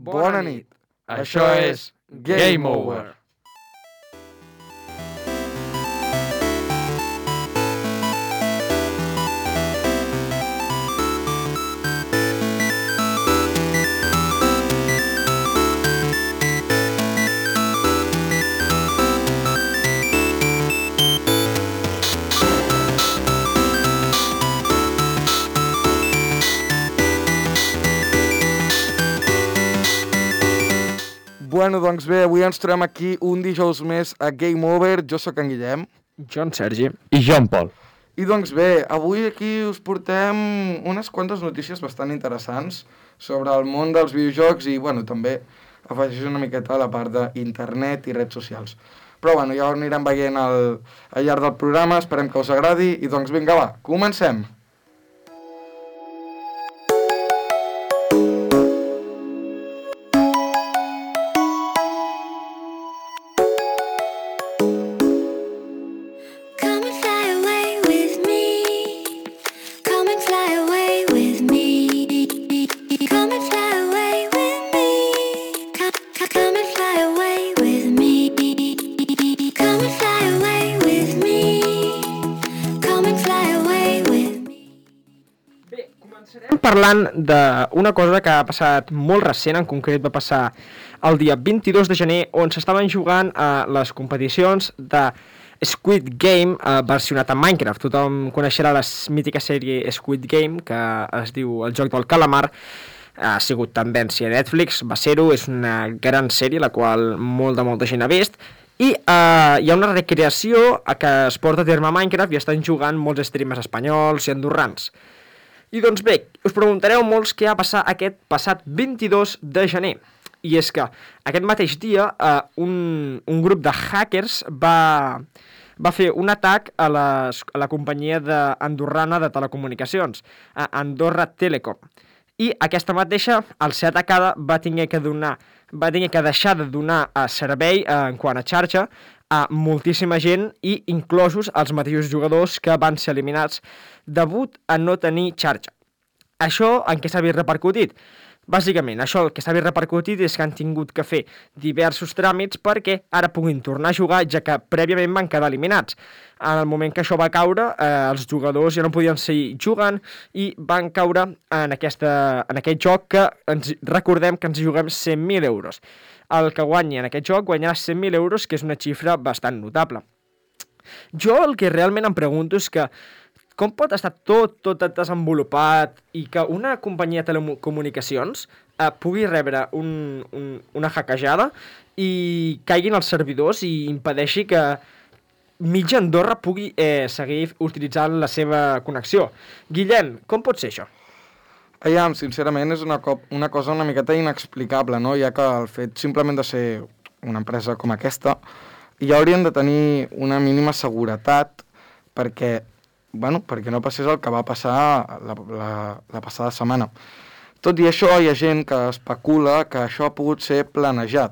Bona nit. Això és Game Over. Bueno, doncs bé, avui ens trobem aquí un dijous més a Game Over. Jo sóc en Guillem. Jo en Sergi. I jo en Pol. I doncs bé, avui aquí us portem unes quantes notícies bastant interessants sobre el món dels videojocs i, bueno, també afegeix una miqueta a la part d'internet i redes socials. Però, bueno, ja ho anirem veient al llarg del programa, esperem que us agradi i, doncs, vinga, va, comencem! Parlant d'una cosa que ha passat molt recent, en concret va passar el dia 22 de gener, on s'estaven jugant a les competicions de Squid Game versionat a Minecraft. Tothom coneixerà la mítica sèrie Squid Game, que es diu El joc del calamar. Ha sigut tendència a Netflix, va ser-ho, és una gran sèrie, la qual molta gent ha vist. I hi ha una recreació que es porta a terme a Minecraft i estan jugant molts streamers espanyols i andorrans. I doncs bé, us preguntareu molts què va passar aquest passat 22 de gener. I és que aquest mateix dia un grup de hackers va fer un atac a la companyia andorrana de telecomunicacions, a Andorra Telecom. I aquesta mateixa, al ser atacada, va haver que deixar de donar servei en quant a xarxa a moltíssima gent i inclosos els mateixos jugadors que van ser eliminats degut a no tenir xarxa. Això en què s'ha vist repercutit? Bàsicament, això el que s'ha vist repercutit és que han tingut que fer diversos tràmits perquè ara puguin tornar a jugar, ja que prèviament van quedar eliminats. En el moment que això va caure, els jugadors ja no podien seguir jugant i van caure en aquest joc que recordem que ens juguem 100.000 euros. El que guanyi en aquest joc guanyarà 100.000 euros, que és una xifra bastant notable. Jo el que realment em pregunto és que com pot estar tot desenvolupat i que una companyia de telecomunicacions pugui rebre una hackejada i caiguin els servidors i impedeixi que mitja Andorra pugui seguir utilitzant la seva connexió. Guillem, com pot ser això? Aviam, sincerament és una cosa una miqueta inexplicable, no? Ja que el fet simplement de ser una empresa com aquesta ja haurien de tenir una mínima seguretat perquè no passés el que va passar la passada setmana. Tot i això, hi ha gent que especula que això ha pogut ser planejat.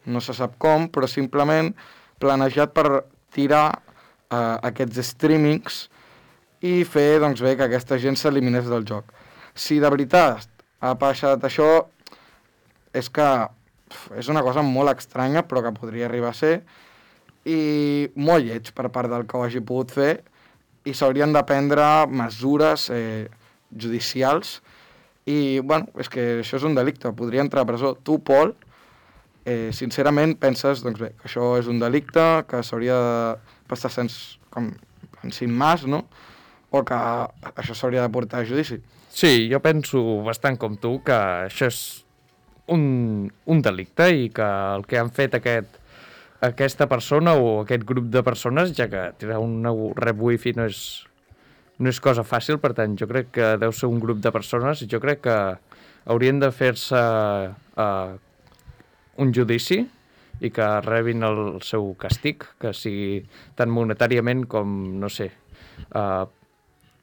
No se sap com, però simplement planejat per tirar aquests streamings i fer doncs, bé que aquesta gent s'eliminés del joc. Si de veritat ha passat això, és que és una cosa molt estranya, però que podria arribar a ser, i molt lleig per part del que ho hagi pogut fer, i s'haurien de prendre mesures judicials, i, bueno, és que això és un delicte, podria entrar a presó. Tu, Pol, sincerament penses, doncs bé, que això és un delicte, que s'hauria de passar sin más, no? O que això s'hauria de portar a judici. Sí, jo penso bastant com tu que això és un delicte i que el que han fet aquesta persona o aquest grup de persones, ja que tirar un rep wifi no és cosa fàcil, per tant, jo crec que deu ser un grup de persones i jo crec que haurien de fer-se un judici i que rebin el seu castig, que sigui tant monetàriament com, no sé,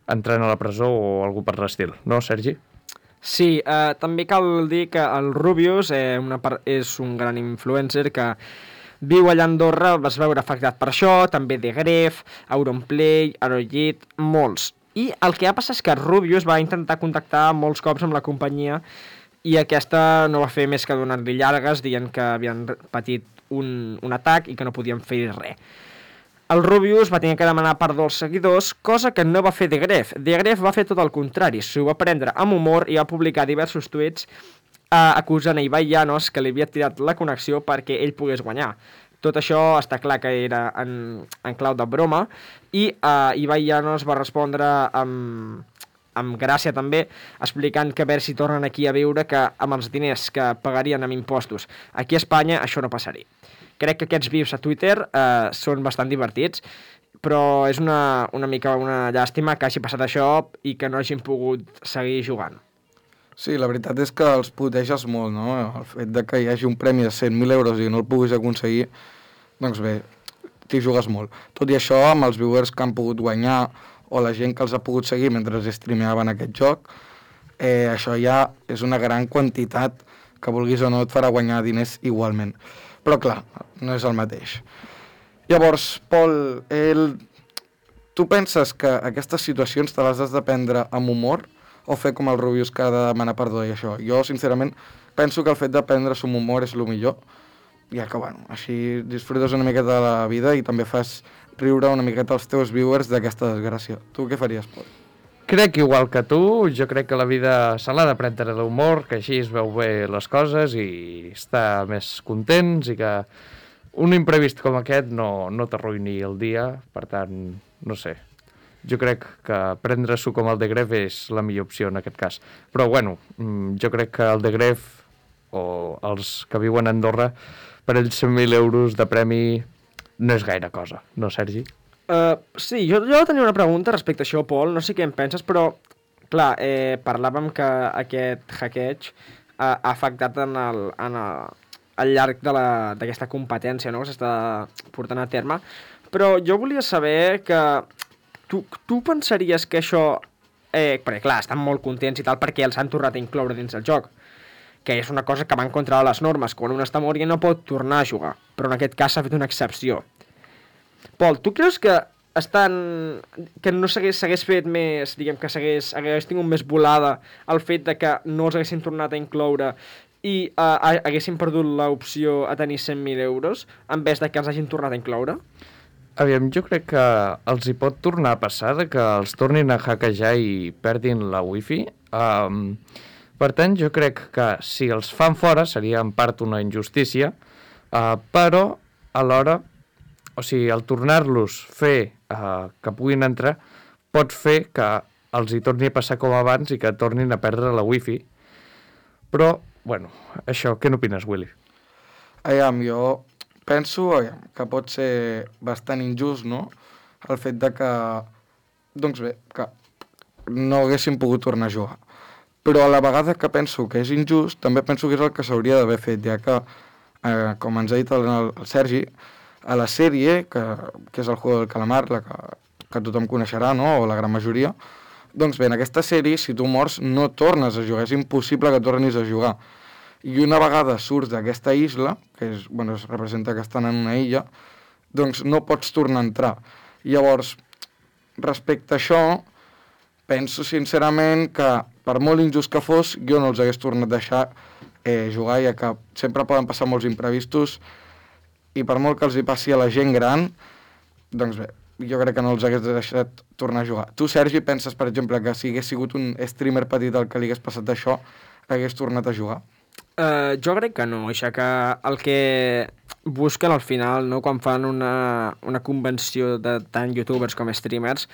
entrant a la presó o algú per l'estil. No, Sergi? Sí, també cal dir que el Rubius és un gran influencer que viu allà a Andorra, vas veure afectat per això, també The Gref, Auronplay, Arrowhead, molts. I el que ha passat és que Rubius va intentar contactar molts cops amb la companyia i aquesta no va fer més que donar-li llargues dient que havien patit un atac i que no podien fer res. El Rubius va tenir que demanar perdó als seguidors, cosa que no va fer De Gref. De Gref va fer tot el contrari, s'ho va prendre amb humor i va publicar diversos tuits acusant a Ibai Llanos que li havia tirat la connexió perquè ell pogués guanyar. Tot això està clar que era en clau de broma i Ibai Llanos va respondre amb gràcia també, explicant que a veure si tornen aquí a viure que amb els diners que pagarien amb impostos aquí a Espanya això no passaria. Crec que aquests vius a Twitter són bastant divertits, però és una mica una llàstima que hagi passat això i que no hagin pogut seguir jugant. Sí, la veritat és que els puteges molt, no? El fet de que hi hagi un premi de 100.000 euros i no el puguis aconseguir, doncs bé, t'hi jugues molt. Tot i això, amb els viewers que han pogut guanyar o la gent que els ha pogut seguir mentre streameaven aquest joc, això ja és una gran quantitat que vulguis o no et farà guanyar diners igualment. Però clar, no és el mateix. Llavors, Pol, tu penses que aquestes situacions te les has de prendre amb humor o fer com el Rubius que ha de demanar perdó i això? Jo, sincerament, penso que el fet de prendre-s'ho amb humor és el millor, ja que, bueno, així disfrutes una miqueta de la vida i també fas riure una miqueta els teus viewers d'aquesta desgràcia. Tu què faries, Pol? Crec igual que tu, jo crec que la vida se l'ha de prendre d'humor, que així es veu bé les coses i està més contents i que un imprevist com aquest no t'arruïni el dia, per tant, no sé. Jo crec que prendre-s'ho com el De Gref és la millor opció en aquest cas. Però bueno, jo crec que el De Gref o els que viuen a Andorra, per ells 100.000 euros de premi no és gaire cosa, no, Sergi? Sí, jo tenia una pregunta respecte a això, Pol, no sé què en penses, però, clar, parlàvem que aquest hackeig ha afectat al llarg d'aquesta competència, no?, que s'està portant a terme, però jo volia saber que tu pensaries que això, perquè clar, estan molt contents i tal perquè els han tornat a incloure dins el joc, que és una cosa que va en contra de les normes, quan un està mort ja no pot tornar a jugar, però en aquest cas s'ha fet una excepció. Pol, tu creus que que no s'hagués fet més, diguem que hagués tingut més volada el fet de que no els haguessin tornat a incloure i haguessin perdut l'opció a tenir 100.000 euros en vez de que els hagin tornat a incloure? Aviam, jo crec que els hi pot tornar a passar de que els tornin a hackejar i perdin la wifi. Per tant, jo crec que si els fan fora seria en part una injustícia, però alhora, o sigui, el tornar-los fer que puguin entrar pot fer que els hi torni a passar com abans i que tornin a perdre la wifi. Però, bueno, això, què n'opines, Willy? Jo penso que pot ser bastant injust, no?, el fet de que, doncs bé, que no haguessin pogut tornar a jugar. Però a la vegada que penso que és injust, també penso que és el que s'hauria d'haver fet, ja que, com ens ha dit el Sergi, a la sèrie, que és el Juego del Calamar, la que tothom coneixerà, no?, o la gran majoria, doncs bé, en aquesta sèrie, si tu mors, no tornes a jugar, és impossible que tornis a jugar. I una vegada surts d'aquesta isla, que es representa que estan en una illa, doncs no pots tornar a entrar. Llavors, respecte a això, penso sincerament que, per molt injust que fos, jo no els hagués tornat a deixar jugar, ja que sempre poden passar molts imprevistos, i per molt que els hi passi a la gent gran, doncs bé, jo crec que no els hagués deixat tornar a jugar. Tu, Sergi, penses, per exemple, que si hagués sigut un streamer petit al que li hagués passat això, hagués tornat a jugar? Jo crec que no, això que el que busquen al final, no, quan fan una convenció de tant youtubers com streamers,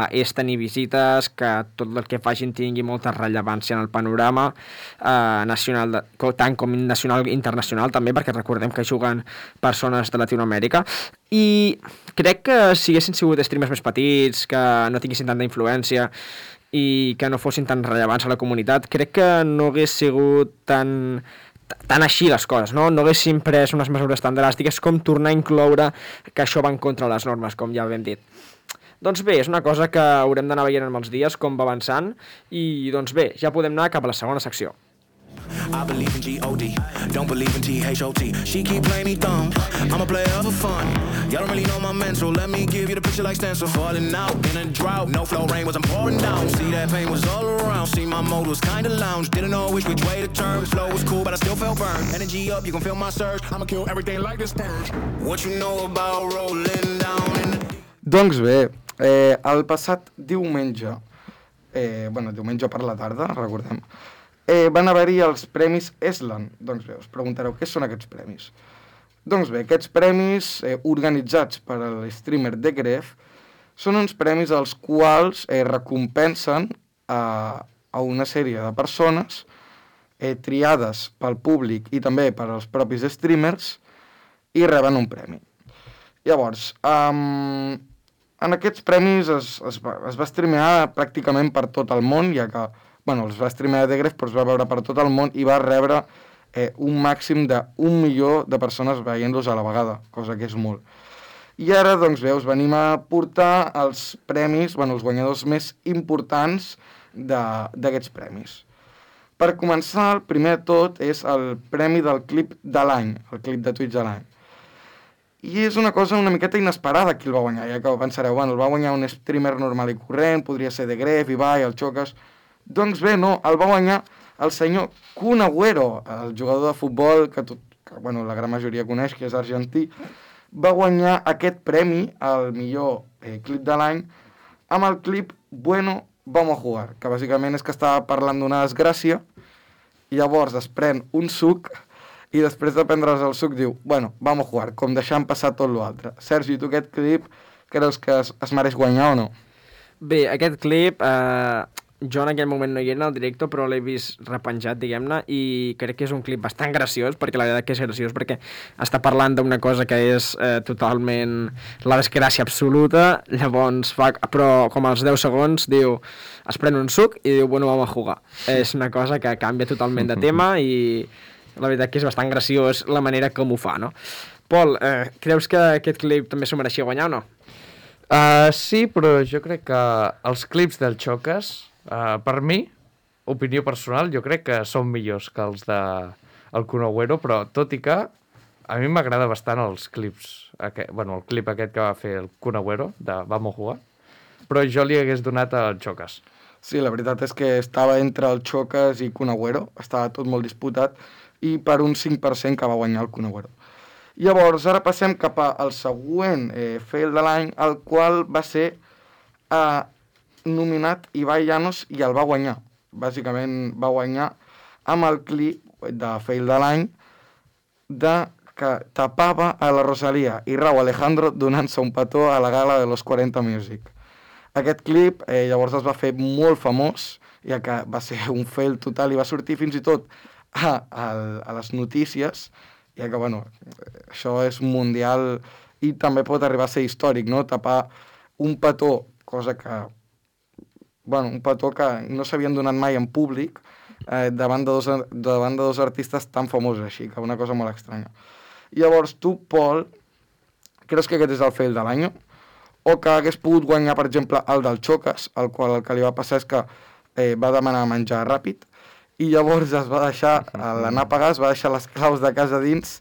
és tenir visites, que tot el que facin tingui molta rellevància en el panorama nacional, tant com nacional i internacional també, perquè recordem que juguen persones de Latinoamèrica, i crec que si haguessin sigut streamers més petits, que no tinguessin tanta influència i que no fossin tan rellevants a la comunitat, crec que no hagués sigut tan així les coses, no? No haguessin pres unes mesures tan dràstiques com tornar a incloure que això va en contra de les normes, com ja hem dit. Doncs bé, és una cosa que haurem d'anar veient amb els dies, com va avançant, i doncs bé, ja podem anar cap a la segona secció. I believe in G-O-D, don't believe in T-H-O-T. She keep playing me dumb, I'm a player for fun. Y'all don't really know my mental, let me give you the picture like stencil. Falling out in a drought, no flow rain was I'm pouring down. See that pain was all around, see my mode was kinda lounge. Didn't know which way to turn, flow was cool but I still felt burned. Energy up, you can feel my surge, I'ma kill everything like this purge. What you know about rolling down in the... Doncs bé, el passat diumenge, diumenge per la tarda, recordem, van haver-hi els Premis Eslan. Doncs bé, us preguntareu què són aquests premis. Doncs bé, aquests premis organitzats per l'streamer The Gref són uns premis als quals recompensen a una sèrie de persones triades pel públic i també per als propis streamers i reben un premi. Llavors, en aquests premis es va streamear pràcticament per tot el món, ja que els va streamear The Gref, però es va veure per tot el món i va rebre un màxim d'1 milió de persones veient-los a la vegada, cosa que és molt. I ara, doncs bé, us venim a portar els premis, els guanyadors més importants d'aquests premis. Per començar, el primer de tot és el premi del clip de l'any, el clip de Twitch de l'any. I és una cosa una miqueta inesperada qui el va guanyar, ja que pensareu, el va guanyar un streamer normal i corrent, podria ser The Gref, Ibai, el Chocas... Doncs bé, no, el va guanyar el senyor Kun Agüero, el jugador de futbol que la gran majoria coneix, que és argentí, va guanyar aquest premi, el millor clip de l'any, amb el clip Bueno, vamos a jugar, que bàsicament és que estava parlant d'una desgràcia, i llavors es pren un suc, i després de prendre's el suc diu, bueno, vamos a jugar, com deixant passar tot l'altre. Sergi, tu aquest clip creus que es mereix guanyar o no? Bé, aquest clip, jo en aquell moment no hi era en el directe, però l'he vist repenjat, diguem-ne, i crec que és un clip bastant graciós, perquè la veritat que és graciós, perquè està parlant d'una cosa que és totalment la desgràcia absoluta, llavors fa, però com als 10 segons diu, es pren un suc i diu, bueno, vamos a jugar. És una cosa que canvia totalment de tema i la veritat que és bastant graciós la manera com ho fa, no? Pol, creus que aquest clip també s'ho mereixia guanyar o no? Sí, però jo crec que els clips del Chocas, per mi, opinió personal, jo crec que són millors que els del Kun Agüero, però tot i que a mi m'agrada bastant els clips, el clip aquest que va fer el Kun Agüero, de Vamos a Jugar, però jo li hagués donat al Chocas. Sí, la veritat és que estava entre el Chocas i Kun Agüero, estava tot molt disputat, i per un 5% que va guanyar el Kun Agüero. Llavors, ara passem cap al següent fail de l'any, el qual va ser nominat Ibai Llanos i el va guanyar. Bàsicament va guanyar amb el clip de fail de l'any que tapava a la Rosalía i Rauw Alejandro donant-se un petó a la gala de los 40 Music. Aquest clip llavors es va fer molt famós, ja que va ser un fail total i va sortir fins i tot a les notícies, ja que, això és mundial i també pot arribar a ser històric, no? Tapar un petó, cosa que, un petó que no s'havien donat mai en públic davant de dos artistes tan famosos així, que una cosa molt estranya. Llavors, tu, Pol, creus que aquest és el fail de l'any? O que hagués pogut guanyar, per exemple, el del Chocas, el qual el que li va passar és que va demanar menjar ràpid, i llavors es va deixar, l'anar a pagar, es va deixar les claus de casa dins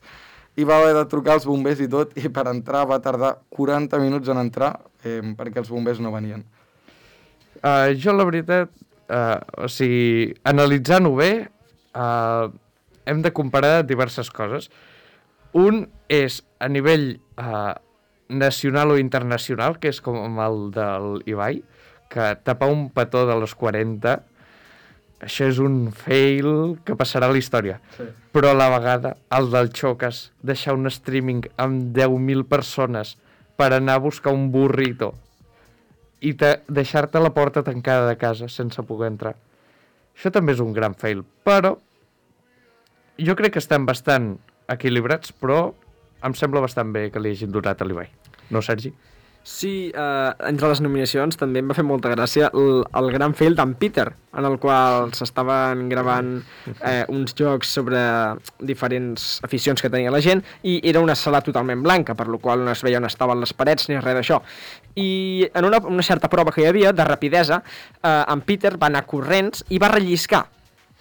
i va haver de trucar als bombers i tot, i per entrar va tardar 40 minuts en entrar perquè els bombers no venien. Jo, la veritat, analitzant-ho bé, hem de comparar diverses coses. Un és a nivell nacional o internacional, que és com el del Ibai, que tapar un petó de los 40... Això és un fail que passarà a la història. Sí. Però a la vegada, el del Chocas, deixar un streaming amb 10.000 persones per anar a buscar un burrito i deixar-te la porta tancada de casa sense poder entrar. Això també és un gran fail. Però jo crec que estan bastant equilibrats, però em sembla bastant bé que li hagin donat a l'Ibai. No, Sergi? Sí, entre les nominacions també em va fer molta gràcia el gran fail d'en Peter, en el qual s'estaven gravant uns jocs sobre diferents aficions que tenia la gent i era una sala totalment blanca, per la qual no es veia on estaven les parets ni res d'això. I en una certa prova que hi havia de rapidesa, en Peter va anar corrents i va relliscar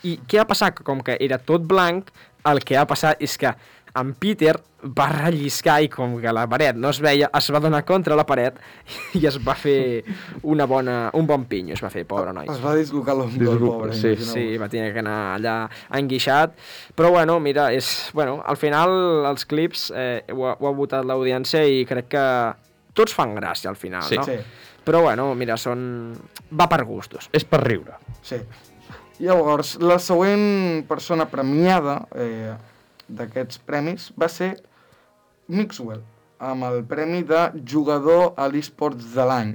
I què ha passat? Que com que era tot blanc, el que ha passat és que en Peter va relliscar i com que la paret no es veia, es va donar contra la paret i es va fer un bon pinyo, es va fer, pobre noi. Es va dislocar l'ombra, el pobre. Sí. Sí, va tenir que anar allà enguixat, però bueno, mira, al final els clips ho ha votat l'audiència i crec que tots fan gràcia al final, Sí. no? Sí. Però bueno, mira, va per gustos. És per riure. Sí. Llavors, la següent persona premiada d'aquests premis va ser Mixwell, amb el premi de jugador a l'eSports de l'any.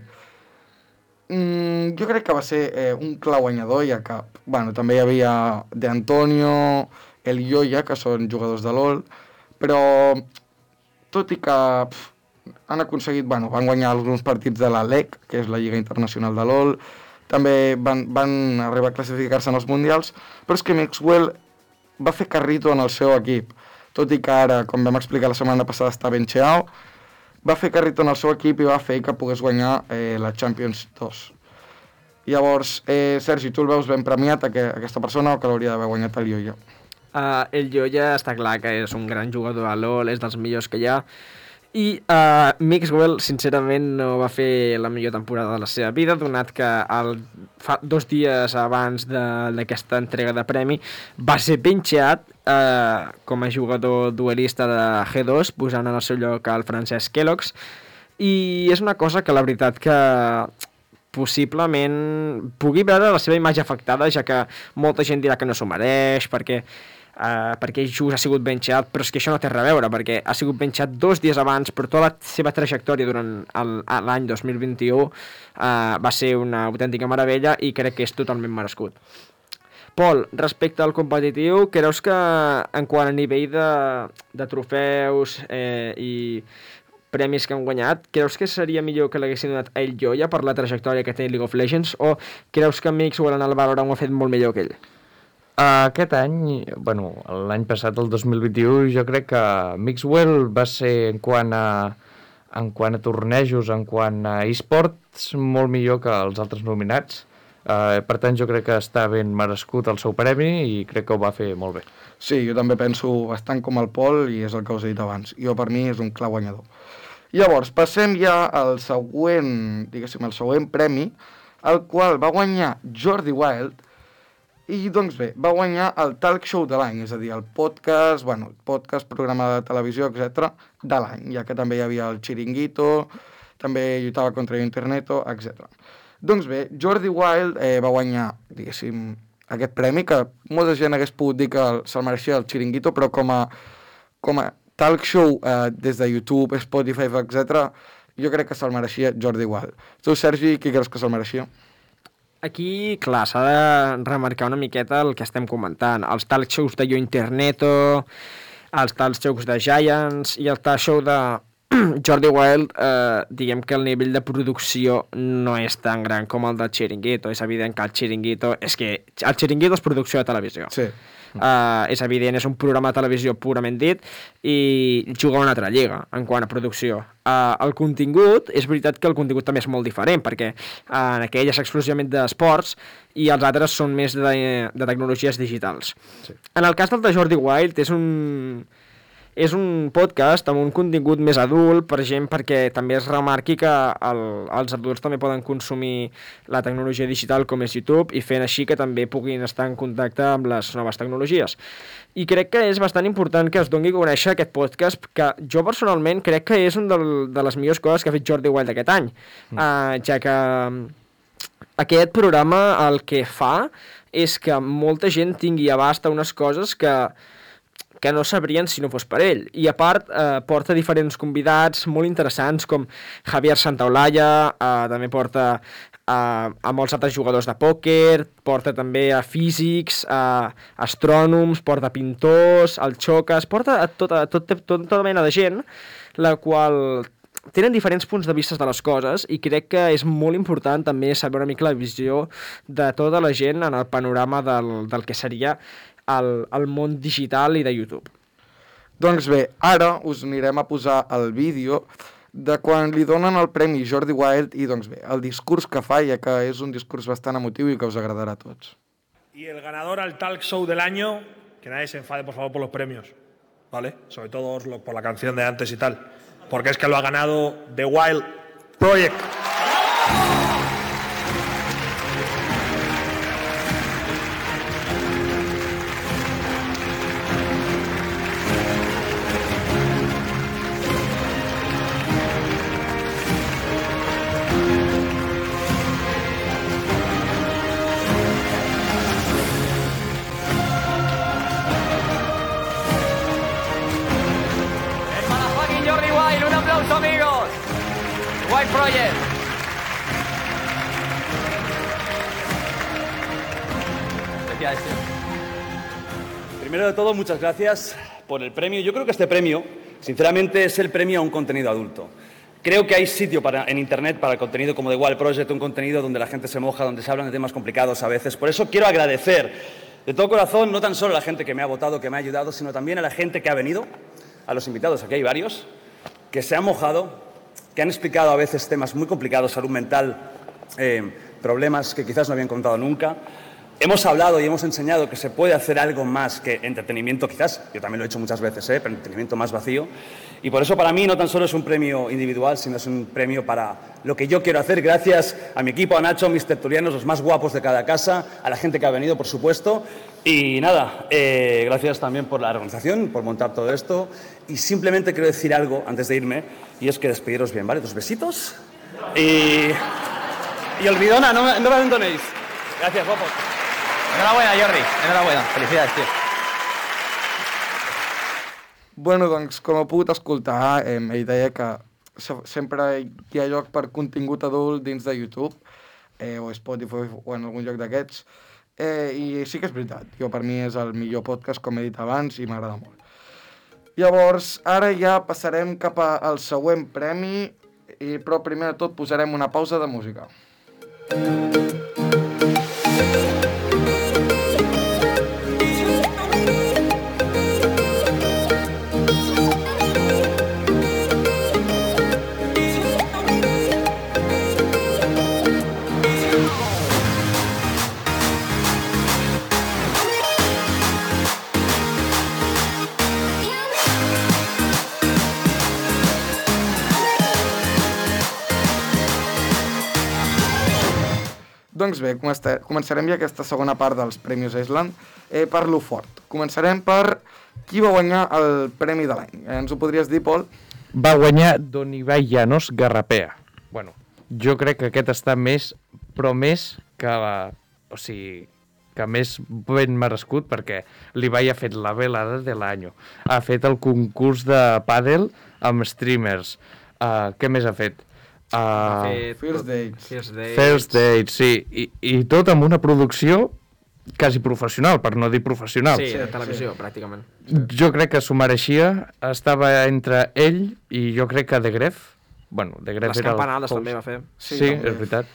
Jo crec que va ser un clar guanyador, ja que també hi havia De Antonio, el Yoya, que són jugadors de LoL, però tot i que han aconseguit, van guanyar alguns partits de la LEC, que és la Lliga Internacional de LoL, també van arribar a classificar-se en els Mundials, però és que Mixwell va fer carrito en el seu equip, tot i que ara, com vam explicar la setmana passada, està ben xeau, va fer carrito en el seu equip i va fer que pogués guanyar la Champions 2. Llavors, Sergi, tu el veus ben premiat, aquesta persona, o que l'hauria d'haver guanyat el Yoya? El Yoya està clar que és un gran jugador a LoL, és dels millors que hi ha, i Mixwell, sincerament, no va fer la millor temporada de la seva vida, donat que 2 dies abans d'aquesta entrega de premi va ser benxeat com a jugador duelista de G2, posant en el seu lloc el Francesc Kellogg's, i és una cosa que la veritat que possiblement pugui veure la seva imatge afectada, ja que molta gent dirà que no s'ho mereix, perquè just ha sigut benxeat, però és que això no té res a veure, perquè ha sigut benxeat 2 dies abans, però tota la seva trajectòria durant l'any 2021 va ser una autèntica meravella i crec que és totalment merescut. Pol, respecte al competitiu, creus que en quant a nivell de trofeus i premis que han guanyat, creus que seria millor que l'haguessin donat a ell Yoya per la trajectòria que té League of Legends, o creus que Mixwell en el Valorant ho ha fet molt millor que ell? Aquest any, l'any passat, el 2021, jo crec que Mixwell va ser, en quant a tornejos, en quant a eSports, molt millor que els altres nominats. Per tant, jo crec que està ben merescut el seu premi i crec que ho va fer molt bé. Sí, jo també penso bastant com el Pol i és el que us he dit abans. Jo, per mi, és un clar guanyador. Llavors, passem ja al següent, diguéssim, el següent premi, el qual va guanyar Jordi Wild. I, doncs bé, va guanyar el Talk Show de l'any, és a dir, el podcast, programa de televisió, etc., de l'any, ja que també hi havia el Chiringuito, també lluitava contra Interneto, etc. Doncs bé, Jordi Wild va guanyar, diguéssim, aquest premi, que molta gent hagués pogut dir que se'l mereixia el Chiringuito, però com a talk show des de YouTube, Spotify, etc., jo crec que se'l mereixia Jordi Wild. Tu, Sergi, qui creus que se'l mereixia? Aquí, clar, s'ha de remarcar una miqueta el que estem comentant. Els talk shows de Yo Interneto, els talk shows de Giants i el talk show de Jordi Wild, diguem que el nivell de producció no és tan gran com el del Chiringuito. És evident que el Chiringuito és producció de televisió. Sí. És evident, és un programa de televisió purament dit i juga a una altra lliga en quant a producció. El contingut, és veritat que el contingut també és molt diferent, perquè en aquell és exclusivament d'esports i els altres són més de tecnologies digitals. Sí. En el cas del de Jordi Wild és un podcast amb un contingut més adult per gent, perquè també es remarqui que els adults també poden consumir la tecnologia digital com és YouTube i fent així que també puguin estar en contacte amb les noves tecnologies. I crec que és bastant important que es doni a conèixer aquest podcast, que jo personalment crec que és una de les millors coses que ha fet Jordi Wild aquest any, ja que aquest programa el que fa és que molta gent tingui abast a unes coses que no sabrien si no fos per ell. I a part, porta diferents convidats molt interessants, com Javier Santaolalla, també porta a molts altres jugadors de pòquer, porta també a físics, a astrònoms, porta a pintors, al Xocas, porta a tota mena de gent, la qual tenen diferents punts de vista de les coses i crec que és molt important també saber una mica la visió de tota la gent en el panorama del que seria el món digital i de YouTube. Doncs bé, ara us anirem a posar el vídeo de quan li donen el premi Jordi Wild i, doncs bé, el discurs que fa, ja que és un discurs bastant emotiu i que us agradarà a tots. Y el ganador al Talk Show del año, que nadie se enfade, por favor, por los premios, ¿vale? Sobre todo por la canción de antes y tal. Porque es que lo ha ganado The Wild Project. Amigos, White Project. Primero de todo, muchas gracias por el premio. Yo creo que este premio, sinceramente, es el premio a un contenido adulto. Creo que hay sitio en Internet para el contenido como The Wild Project, un contenido donde la gente se moja, donde se hablan de temas complicados a veces. Por eso quiero agradecer de todo corazón, no tan solo a la gente que me ha votado, que me ha ayudado, sino también a la gente que ha venido, a los invitados, aquí hay varios, que se han mojado, que han explicado a veces temas muy complicados, salud mental, problemas que quizás no habían contado nunca. Hemos hablado y hemos enseñado que se puede hacer algo más que entretenimiento, quizás, yo también lo he hecho muchas veces, pero entretenimiento más vacío. Y por eso para mí no tan solo es un premio individual, sino es un premio para lo que yo quiero hacer, gracias a mi equipo, a Nacho, a mis tertulianos, los más guapos de cada casa, a la gente que ha venido, por supuesto. Y nada, gracias también por la organización, por montar todo esto. Y simplemente quiero decir algo antes de irme, y es que despediros bien, ¿vale? 2 besitos. Y olvidona, no me abandonéis. Gracias, guapos. Enhorabuena, Jordi. Enhorabuena. Felicidades, tio. Bueno, doncs, com heu pogut escoltar, ell deia que sempre hi ha lloc per contingut adult dins de YouTube, o Spotify, o en algun lloc d'aquests, i sí que és veritat. Jo, per mi, és el millor podcast, com he dit abans, i m'agrada molt. Llavors, ara ja passarem cap al següent premi, però primer de tot posarem una pausa de música. Doncs bé, començarem ja aquesta segona part dels Premis Island per lo fort. Començarem per qui va guanyar el Premi de l'any. Ens ho podries dir, Pol? Va guanyar Don Ibai Llanos Garrapea. Bueno, jo crec que aquest està més, però més que... O sigui, que més ben merescut, perquè l'Ibai ha fet la velada de l'any. Ha fet el concurs de pàdel amb streamers. Què més ha fet? First Dates. First Dates, sí. I tot amb una producció quasi professional, per no dir professional. Sí, de televisió, pràcticament. Jo crec que s'ho mereixia. Estava entre ell i jo crec que The Gref. Bueno, The Gref les era campanades també va fer. Sí, és veritat.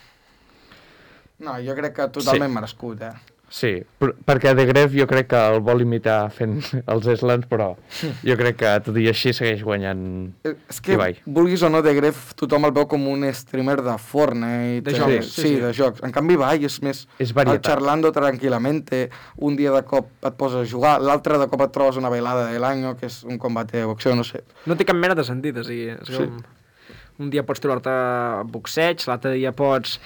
No, jo crec que totalment merescut, Sí, perquè The Gref jo crec que el vol imitar fent els slams, però jo crec que tot i així segueix guanyant és que, Ibai. Vulguis o no, The Gref tothom el veu com un streamer de Fortnite. De jocs. Sí, de jocs. En canvi, Ibai és més És varietat. el charlando tranquil·lamente. Un dia de cop et poses a jugar, l'altre de cop et trobes una velada de l'any, que és un combate de boxeo, no sé. No té cap mena de sentit, o sigui, és com... Un dia pots trobar-te boxeig, l'altre dia pots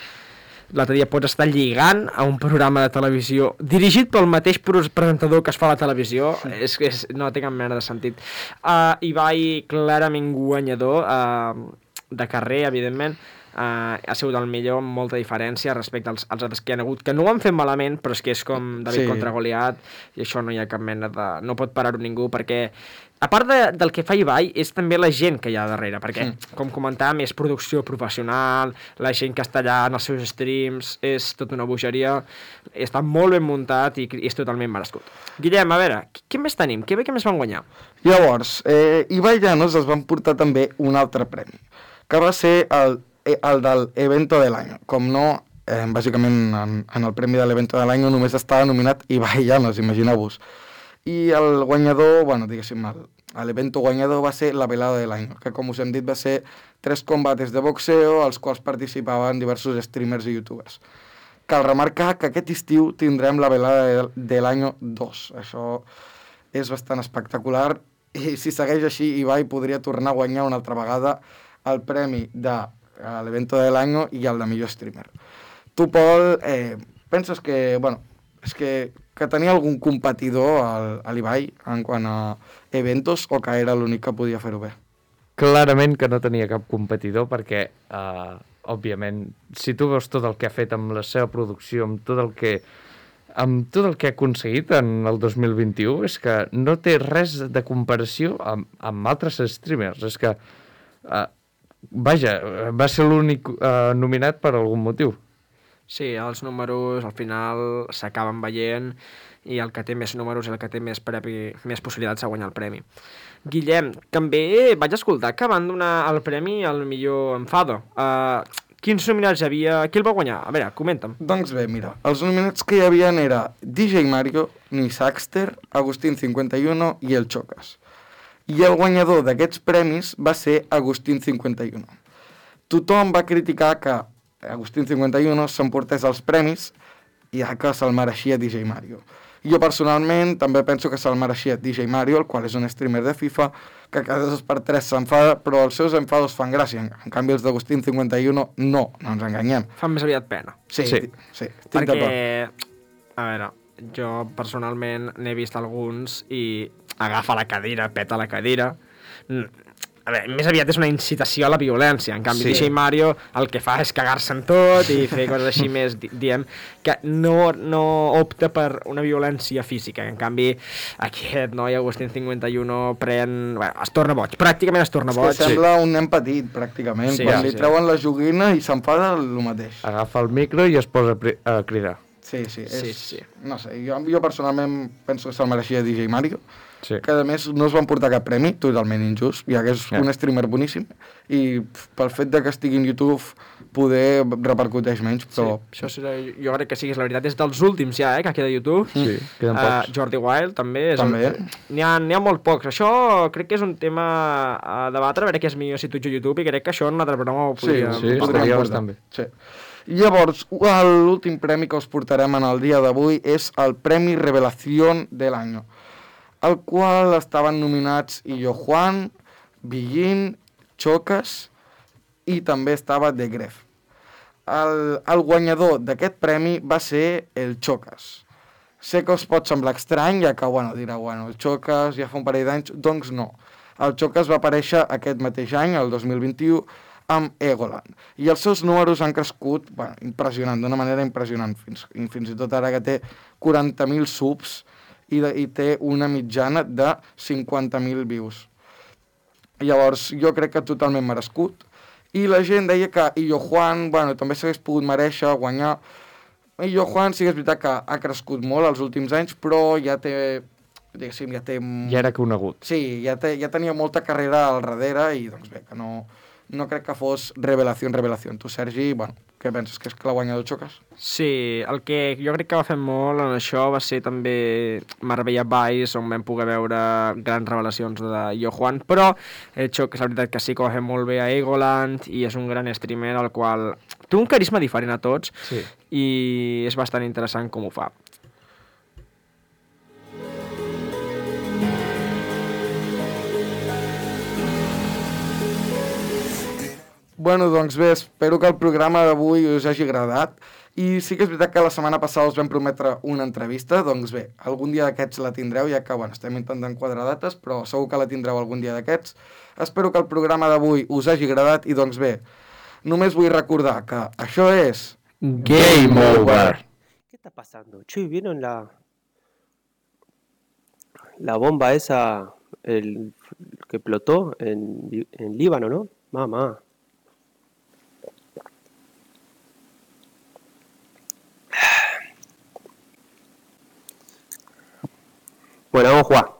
estar lligant a un programa de televisió dirigit pel mateix presentador que es fa a la televisió. No té cap mena de sentit. Ibai, clarament guanyador, de carrer, evidentment, ha sigut el millor amb molta diferència respecte als altres que hi ha hagut, que no ho han fet malament, però és que és com David contra Goliat, i això no hi ha cap mena de... No pot parar-ho ningú, perquè a part del que fa Ibai, és també la gent que hi ha darrere, perquè, com comentàvem, és producció professional, la gent que està allà en els seus streams, és tota una bogeria, està molt ben muntat i és totalment merescut. Guillem, a veure, què més tenim? Què més van guanyar? Llavors, Ibai Llanos es van portar també un altre premi, que va ser el del Evento de l'any. Com no, bàsicament en el premi de l'Evento de l'any només estava nominat Ibai Llanos, imagineu-vos. I el guanyador, bueno, diguéssim, l'evento guanyador va ser la velada de l'any, que com us hem dit va ser 3 combates de boxeo, als quals participaven diversos streamers i youtubers. cal remarcar que aquest estiu tindrem la velada de l'any 2. Això és bastant espectacular i si segueix així Ibai podria tornar a guanyar una altra vegada el premi de l'evento de l'any i el de millor streamer. Tu, Pol, penses que, bueno, és que tenia algun competidor a l'Ibai en quant a eventos o que era l'únic que podia fer-ho bé? Clarament que no tenia cap competidor perquè, òbviament, si tu veus tot el que ha fet amb la seva producció, amb tot el que ha aconseguit en el 2021, és que no té res de comparació amb altres streamers. És que, vaja, va ser l'únic nominat per algun motiu. Sí, els números al final s'acaben veient i el que té més números i el que té més possibilitats de guanyar el premi. Guillem, també vaig escoltar que van donar el premi al millor Enfado. Quins nominats hi havia? Qui el va guanyar? A veure, comenta'm. Doncs bé, mira, els nominats que hi havia era DJ Mario, Nisaxter, Agustín51 i el Chocas. I el guanyador d'aquests premis va ser Agustín51. Tothom va criticar que Agustín51 s'emportés els premis ja que se'l mereixia DJ Mario. Jo personalment també penso que se'l mereixia DJ Mario, el qual és un streamer de FIFA, que cada 2 per 3 s'enfada, però els seus enfados fan gràcia. En canvi els d'Agustín51 no ens enganyem. Fan més aviat pena. Sí, estic perquè, d'acord. A veure, jo personalment n'he vist alguns i agafa la cadira, peta la cadira. A veure, més aviat és una incitació a la violència. En canvi, DJ Mario el que fa és cagar-se en tot i fer coses així més, diem, que no opta per una violència física. En canvi, aquest noi, Agustín51, bueno, es torna boig. Pràcticament es torna boig. Sembla un nen petit, pràcticament. Quan li treuen la joguina i s'enfada el mateix. Agafa el micro i es posa a cridar. Sí. No sé, jo personalment penso que se'l mereixia DJ Mario. Sí. Que a més no es van portar cap premi, totalment injust, ja que és un streamer boníssim i pel fet de que estigui en YouTube poder repercuteix menys, però... Sí, això jo crec que sí, és la veritat, és dels últims ja, que queda a YouTube. Sí, queden pocs. Jordi Wild també. N'hi ha molt pocs. Això crec que és un tema a debatre, a veure què és millor si tu ets a YouTube, i crec que això en una altra broma ho podríem... Sí, estaria bastant bé. Sí. Llavors, l'últim premi que us portarem en el dia d'avui és el Premi Revelación de l'any, al qual estaven nominats Illo Juan, Billín, Chocas i també estava The Gref. El guanyador d'aquest premi va ser el Chocas. Sé que us pot semblar estrany, ja que, dirà, el Chocas ja fa un parell d'anys, doncs no. El Chocas va aparèixer aquest mateix any, el 2021, amb Egoland. I els seus números han crescut, impressionant, d'una manera impressionant, fins i tot ara que té 40.000 subs, i té una mitjana de 50.000 views. Llavors, jo crec que totalment merescut. I la gent deia que Illo Juan, també s'hagués pogut mereixer guanyar. Illo Juan sí que és veritat que ha crescut molt els últims anys, però ja té... Ja era conegut. Sí, ja tenia molta carrera al darrere i, doncs bé, que no crec que fos revelació. Tu, Sergi, què penses? Que és que l'ha guanyat el Chocas? Sí, el que jo crec que va fer molt en això va ser també Marbella Vice, on vam poder veure grans revelacions de Illo Juan, però el Chocas, la veritat que sí que ho va fer molt bé a Egoland i és un gran streamer el qual té un carisma diferent a tots i és bastant interessant com ho fa. Doncs bé, espero que el programa d'avui us hagi agradat i sí que és veritat que la setmana passada us vam prometre una entrevista, doncs bé, algun dia d'aquests la tindreu, ja que estem intentant quadrar dates, però segur que la tindreu algun dia d'aquests. Espero que el programa d'avui us hagi agradat i doncs bé, només vull recordar que això és... Game Over! ¿Qué está pasando? Che, ¿vieron la bomba esa que explotó en Líbano, no? Mamá. Bueno, vamos a jugar.